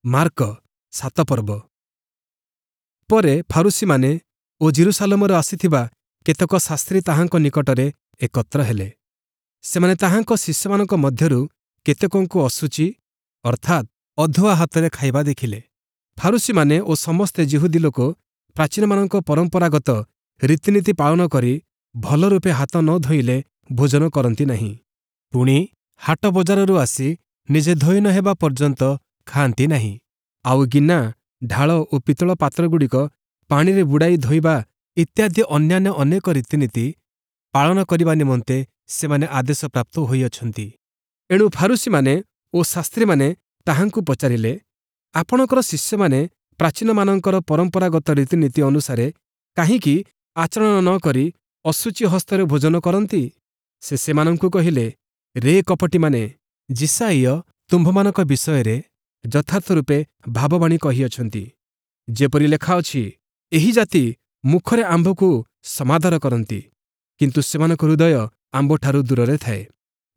Mark 7 ପର୍ବ। ପରେ ଫାରୂଶୀମାନେ ଓ ଯିରୂଶାଲମରୁ ଆସିଥିବା କେତେକ ଶାସ୍ତ୍ରୀ ତାହାଙ୍କ ନିକଟରେ ଏକତ୍ର ହେଲେ। ସେମାନେ ତାହାଙ୍କ ଶିଷ୍ୟମାନଙ୍କ ମଧ୍ୟରୁ କେତେକଙ୍କୁ ଅଶୁଚି ଅର୍ଥାତ୍ ଅଧୁଆ ହାତରେ ଖାଇବା ଦେଖିଲେ। ଫାରୂଶୀମାନେ ଓ ସମସ୍ତେ ଯିହୁଦୀ ଲୋକ ପ୍ରାଚୀନମାନଙ୍କ ପରମ୍ପରାଗତ ରୀତିନୀତି ପାଳନ କରି ଭଲରୂପେ ହାତ ନ ଧୋଇଲେ ଭୋଜନ କରନ୍ତି ନାହିଁ। ପୁଣି ହାଟ ବଜାରରୁ ଆସି ନିଜେ ଧୋଇ ନ ହେବା ପର୍ଯ୍ୟନ୍ତ ଖାଆନ୍ତି ନାହିଁ। ଆଉ ଗିନା, ଢାଳ ଓ ପିତ୍ତଳ ପାତ୍ରଗୁଡ଼ିକ ପାଣିରେ ବୁଡ଼ାଇ ଧୋଇବା ଇତ୍ୟାଦି ଅନ୍ୟାନ୍ୟ ଅନେକ ରୀତିନୀତି ପାଳନ କରିବା ନିମନ୍ତେ ସେମାନେ ଆଦେଶପ୍ରାପ୍ତ ହୋଇଅଛନ୍ତି। ଏଣୁ ଫାରୂଶୀମାନେ ଓ ଶାସ୍ତ୍ରୀମାନେ ତାହାଙ୍କୁ ପଚାରିଲେ, ଆପଣଙ୍କର ଶିଷ୍ୟମାନେ ପ୍ରାଚୀନମାନଙ୍କର ପରମ୍ପରାଗତ ରୀତିନୀତି ଅନୁସାରେ କାହିଁକି ଆଚରଣ ନ କରି ଅଶୁଚି ହସ୍ତରେ ଭୋଜନ କରନ୍ତି? ସେ ସେମାନଙ୍କୁ କହିଲେ, ରେ କପଟୀମାନେ, ଯିଶାଇୟ ତୁମ୍ଭମାନଙ୍କ ବିଷୟରେ ଯଥାର୍ଥ ରୂପେ ଭାବବାଣୀ କହିଅଛନ୍ତି, ଯେପରି ଲେଖାଅଛି, ଏହି ଜାତି ମୁଖରେ ଆମ୍ଭକୁ ସମାଦର କରନ୍ତି, କିନ୍ତୁ ସେମାନଙ୍କ ହୃଦୟ ଆମ୍ଭଠାରୁ ଦୂରରେ ଥାଏ।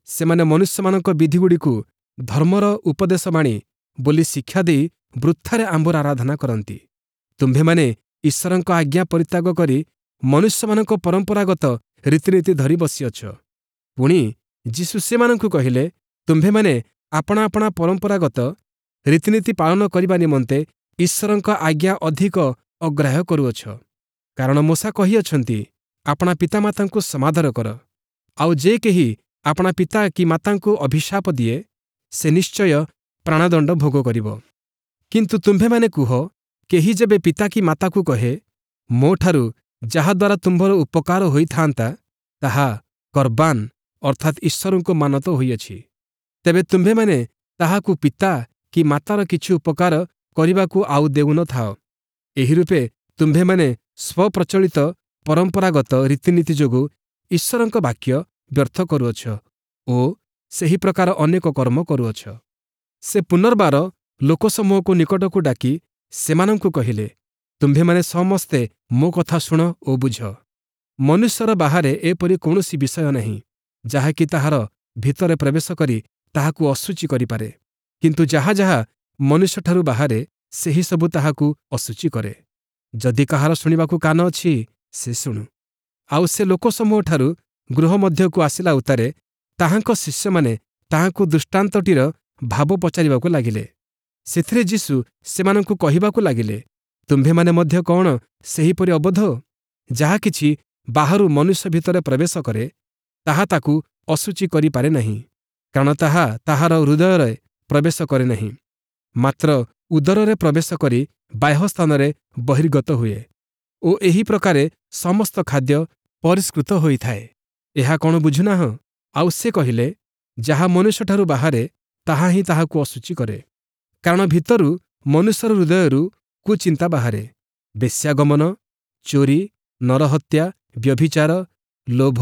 ସେମାନେ ମନୁଷ୍ୟମାନଙ୍କ ବିଧିଗୁଡ଼ିକୁ ଧର୍ମର ଉପଦେଶବାଣୀ ବୋଲି ଶିକ୍ଷା ଦେଇ ବୃଥାରେ ଆମ୍ଭର ଆରାଧନା କରନ୍ତି। ତୁମ୍ଭେମାନେ ଈଶ୍ୱରଙ୍କ ଆଜ୍ଞା ପରିତ୍ୟାଗ କରି ମନୁଷ୍ୟମାନଙ୍କ ପରମ୍ପରାଗତ ରୀତିନୀତି ଧରି ବସିଅଛ। ପୁଣି ଯୀଶୁ ସେମାନଙ୍କୁ କହିଲେ, ତୁମ୍ଭେମାନେ ଆପଣା ଆପଣା ପରମ୍ପରାଗତ ରୀତିନୀତି ପାଳନ କରିବା ନିମନ୍ତେ ଈଶ୍ୱରଙ୍କ ଆଜ୍ଞା ଅଧିକ ଅଗ୍ରାହ୍ୟ କରୁଅଛ। କାରଣ ମୋଶା କହିଅଛନ୍ତି, ଆପଣା ପିତାମାତାଙ୍କୁ ସମାଦର କର, ଆଉ ଯେ କେହି ଆପଣା ପିତା କି ମାତାଙ୍କୁ ଅଭିଶାପ ଦିଏ, ସେ ନିଶ୍ଚୟ ପ୍ରାଣଦଣ୍ଡ ଭୋଗ କରିବ। କିନ୍ତୁ ତୁମ୍ଭେମାନେ କୁହ, କେହି ଯେବେ ପିତା କି ମାତାକୁ କହେ, ମୋଠାରୁ ଯାହାଦ୍ୱାରା ତୁମ୍ଭର ଉପକାର ହୋଇଥାନ୍ତା, ତାହା କର୍ବାନ୍ ଅର୍ଥାତ୍ ଈଶ୍ୱରଙ୍କୁ ମାନତ ହୋଇଅଛି, ତେବେ ତୁମ୍ଭେମାନେ ତାହାକୁ ପିତା କି ମାତାର କିଛି ଉପକାର କରିବାକୁ ଆଉ ଦେଉନଥାଅ। ଏହିରୂପେ ତୁମ୍ଭେମାନେ ସ୍ୱପ୍ରଚଳିତ ପରମ୍ପରାଗତ ରୀତିନୀତି ଯୋଗୁଁ ଈଶ୍ୱରଙ୍କ ବାକ୍ୟ ବ୍ୟର୍ଥ କରୁଅଛ ଓ ସେହି ପ୍ରକାର ଅନେକ କର୍ମ କରୁଅଛ। ସେ ପୁନର୍ବାର ଲୋକସମୂହକୁ ନିକଟକୁ ଡାକି ସେମାନଙ୍କୁ କହିଲେ, ତୁମ୍ଭେମାନେ ସମସ୍ତେ ମୋ କଥା ଶୁଣ ଓ ବୁଝ। ମନୁଷ୍ୟର ବାହାରେ ଏପରି କୌଣସି ବିଷୟ ନାହିଁ, ଯାହାକି ତାହାର ଭିତରେ ପ୍ରବେଶ କରି ତାହାକୁ ଅଶୁଚି କରିପାରେ, କିନ୍ତୁ ଯାହା ଯାହା ମନୁଷ୍ୟଠାରୁ ବାହାରେ, ସେହି ସବୁ ତାହାକୁ ଅଶୁଚି କରେ। ଯଦି କାହାର ଶୁଣିବାକୁ କାନ ଅଛି, ସେ ଶୁଣୁ। ଆଉ ସେ ଲୋକସମୂହଠାରୁ ଗୃହ ମଧ୍ୟକୁ ଆସିଲା ଉତ୍ତାରେ ତାହାଙ୍କ ଶିଷ୍ୟମାନେ ତାହାଙ୍କୁ ଦୃଷ୍ଟାନ୍ତଟିର ଭାବ ପଚାରିବାକୁ ଲାଗିଲେ। ସେଥିରେ ଯୀଶୁ ସେମାନଙ୍କୁ କହିବାକୁ ଲାଗିଲେ, ତୁମ୍ଭେମାନେ ମଧ୍ୟ କଅଣ ସେହିପରି ଅବୋଧ? ଯାହା କିଛି ବାହାରୁ ମନୁଷ୍ୟ ଭିତରେ ପ୍ରବେଶ କରେ, ତାହା ତାକୁ ଅଶୁଚି କରିପାରେ ନାହିଁ, କାରଣ ତାହା ତାହାର ହୃଦୟରେ ପ୍ରବେଶ କରେ ନାହିଁ, ମାତ୍ର ଉଦରରେ ପ୍ରବେଶ କରି ବାହ୍ୟ ସ୍ଥାନରେ ବହିର୍ଗତ ହୁଏ ଓ ଏହି ପ୍ରକାରେ ସମସ୍ତ ଖାଦ୍ୟ ପରିଷ୍କୃତ ହୋଇଥାଏ। ଏହା କଣ ବୁଝୁନାହଁ? ଆଉ ସେ କହିଲେ, ଯାହା ମନୁଷ୍ୟଠାରୁ ବାହାରେ, ତାହା ହିଁ ତାହାକୁ ଅଶୁଚି କରେ। କାରଣ ଭିତରୁ ମନୁଷ୍ୟର ହୃଦୟରୁ କୁଚିନ୍ତା ବାହାରେ, ବେଶ୍ୟାଗମନ, ଚୋରି, ନରହତ୍ୟା, ବ୍ୟଭିଚାର, ଲୋଭ,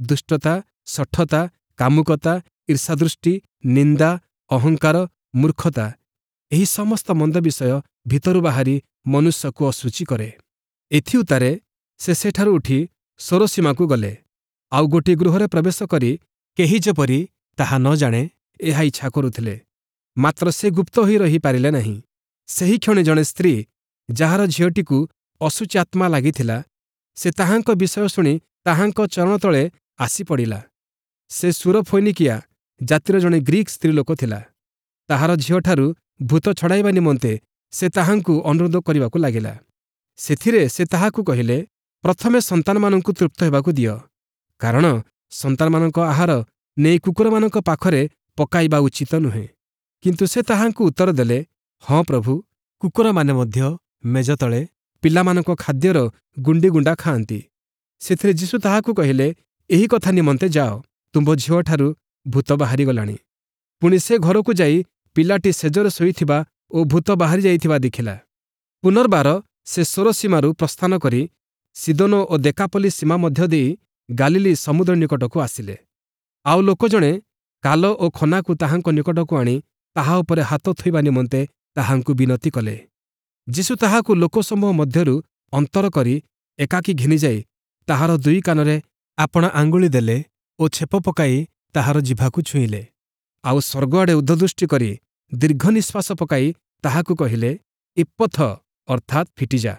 ଦୁଷ୍ଟତା, ଶଠତା, କାମୁକତା, ଈର୍ଷାଦୃଷ୍ଟି, ନିନ୍ଦା, ଅହଙ୍କାର, ମୂର୍ଖତା। ଏହି ସମସ୍ତ ମନ୍ଦ ବିଷୟ ଭିତରୁ ବାହାରି ମନୁଷ୍ୟକୁ ଅଶୁଚି କରେ। ଏଥିଉତ୍ତାରେ ସେ ସେଠାରୁ ଉଠି ସୋରସୀମାକୁ ଗଲେ। ଆଉ ଗୋଟିଏ ଗୃହରେ ପ୍ରବେଶ କରି କେହି ଯେପରି ତାହା ନ ଜାଣେ, ଏହା ଇଚ୍ଛା କରୁଥିଲେ। ମାତ୍ର ସେ ଗୁପ୍ତ ହୋଇ ରହିପାରିଲେ ନାହିଁ। ସେହିକ୍ଷଣି ଜଣେ ସ୍ତ୍ରୀ, ଯାହାର ଝିଅଟିକୁ ଅଶୁଚି ଆତ୍ମା ଲାଗିଥିଲା, ସେ ତାହାଙ୍କ ବିଷୟ ଶୁଣି ତାହାଙ୍କ ଚରଣ ତଳେ ଆସି ପଡ଼ିଲା। ସେ ସୁରଫୈନିକିଆ ଜାତିର ଜଣେ ଗ୍ରୀକ୍ ସ୍ତ୍ରୀଲୋକ ଥିଲା। ତାହାର ଝିଅଠାରୁ ଭୂତ ଛଡ଼ାଇବା ନିମନ୍ତେ ସେ ତାହାଙ୍କୁ ଅନୁରୋଧ କରିବାକୁ ଲାଗିଲା। ସେଥିରେ ସେ ତାହାକୁ କହିଲେ, ପ୍ରଥମେ ସନ୍ତାନମାନଙ୍କୁ ତୃପ୍ତ ହେବାକୁ ଦିଅ, କାରଣ ସନ୍ତାନମାନଙ୍କ ଆହାର ନେଇ କୁକୁରମାନଙ୍କ ପାଖରେ ପକାଇବା ଉଚିତ ନୁହେଁ। କିନ୍ତୁ ସେ ତାହାଙ୍କୁ ଉତ୍ତର ଦେଲେ, ହଁ ପ୍ରଭୁ, କୁକୁରମାନେ ମଧ୍ୟ ମେଜ ତଳେ ପିଲାମାନଙ୍କ ଖାଦ୍ୟର ଗୁଣ୍ଡି ଗୁଣ୍ଡା ଖାଆନ୍ତି। ସେଥିରେ ଯୀଶୁ ତାହାକୁ କହିଲେ, ଏହି କଥା ନିମନ୍ତେ ଯାଅ, ତୁମ୍ଭ ଝିଅଠାରୁ ଭୂତ ବାହାରିଗଲାଣି। ପୁଣି ସେ ଘରକୁ ଯାଇ ପିଲାଟି ଶେଯରେ ଶୋଇଥିବା ଓ ଭୂତ ବାହାରି ଯାଇଥିବା ଦେଖିଲା। ପୁନର୍ବାର ସେ ସୋରସୀମାରୁ ପ୍ରସ୍ଥାନ କରି ସିଦୋନ ଓ ଦେକାପଲ୍ଲୀ ସୀମା ମଧ୍ୟ ଦେଇ ଗାଲିଲୀ ସମୁଦ୍ର ନିକଟକୁ ଆସିଲେ। ଆଉ ଲୋକ ଜଣେ କାଲ ଓ ଖନାକୁ ତାହାଙ୍କ ନିକଟକୁ ଆଣି ତାହା ଉପରେ ହାତ ଥୋଇବା ନିମନ୍ତେ ତାହାଙ୍କୁ ବିନତି କଲେ। ଯୀଶୁ ତାହାକୁ ଲୋକସମୂହ ମଧ୍ୟରୁ ଅନ୍ତର କରି ଏକାକୀ ଘେନିଯାଇ ତାହାର ଦୁଇ କାନରେ ଆପଣା ଆଙ୍ଗୁଳି ଦେଲେ ଓ ଛେପ ପକାଇ ତାହାର ଜିଭାକୁ ଛୁଇଁଲେ। ଆଉ ସ୍ୱର୍ଗଆଡ଼େ ଊର୍ଦ୍ଧ୍ୱଦୃଷ୍ଟି କରି ଦୀର୍ଘ ନିଶ୍ୱାସ ପକାଇ ତାହାକୁ କହିଲେ, ଇପ୍ପଥ, ଅର୍ଥାତ୍ ଫିଟିଯା।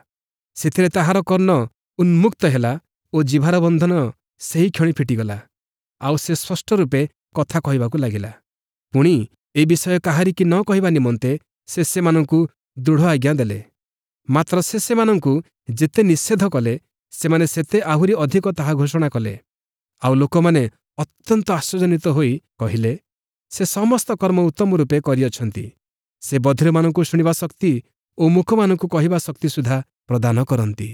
ସେଥିରେ ତାହାର କର୍ଣ୍ଣ ଉନ୍ମୁକ୍ତ ହେଲା ଓ ଜିଭାର ବନ୍ଧନ ସେହି କ୍ଷଣି ଫିଟିଗଲା, ଆଉ ସେ ସ୍ପଷ୍ଟ ରୂପେ କଥା କହିବାକୁ ଲାଗିଲା। ପୁଣି ଏ ବିଷୟ କାହାରିକି ନ କହିବା ନିମନ୍ତେ ସେ ସେମାନଙ୍କୁ ଦୃଢ଼ ଆଜ୍ଞା ଦେଲେ। ମାତ୍ର ସେ ସେମାନଙ୍କୁ ଯେତେ ନିଷେଧ କଲେ, ସେମାନେ ସେତେ ଆହୁରି ଅଧିକ ତାହା ଘୋଷଣା କଲେ। ଆଉ ଲୋକମାନେ ଅତ୍ୟନ୍ତ ଆଶ୍ଚର୍ଯ୍ୟାନ୍ୱିତ ହୋଇ କହିଲେ, ସେ ସମସ୍ତ କର୍ମ ଉତ୍ତମ ରୂପେ କରିଅଛନ୍ତି। ସେ ବଧିରମାନଙ୍କୁ ଶୁଣିବା ଶକ୍ତି ଓ ମୂକମାନଙ୍କୁ କହିବା ଶକ୍ତି ସୁଦ୍ଧା ପ୍ରଦାନ କରନ୍ତି।